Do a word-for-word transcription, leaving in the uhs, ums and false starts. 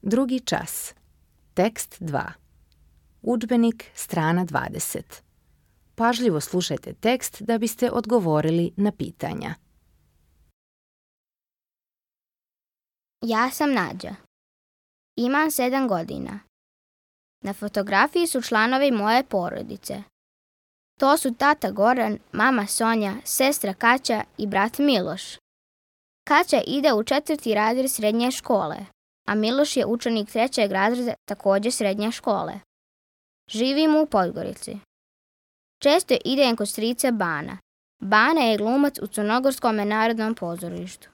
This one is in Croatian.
Drugi čas. Tekst dva. Udžbenik, strana dvadeset. Pažljivo slušajte tekst da biste odgovorili na pitanja. Ja sam Nađa. Imam sedam godina. Na fotografiji su članovi moje porodice. To su tata Goran, mama Sonja, sestra Kaća i brat Miloš. Kaća ide u četvrti razred srednje škole, a Miloš je učenik trećeg razreda također srednje škole. Živimo u Podgorici. Često idem kod strica Bana. Bana je glumac u Crnogorskom narodnom pozorištu.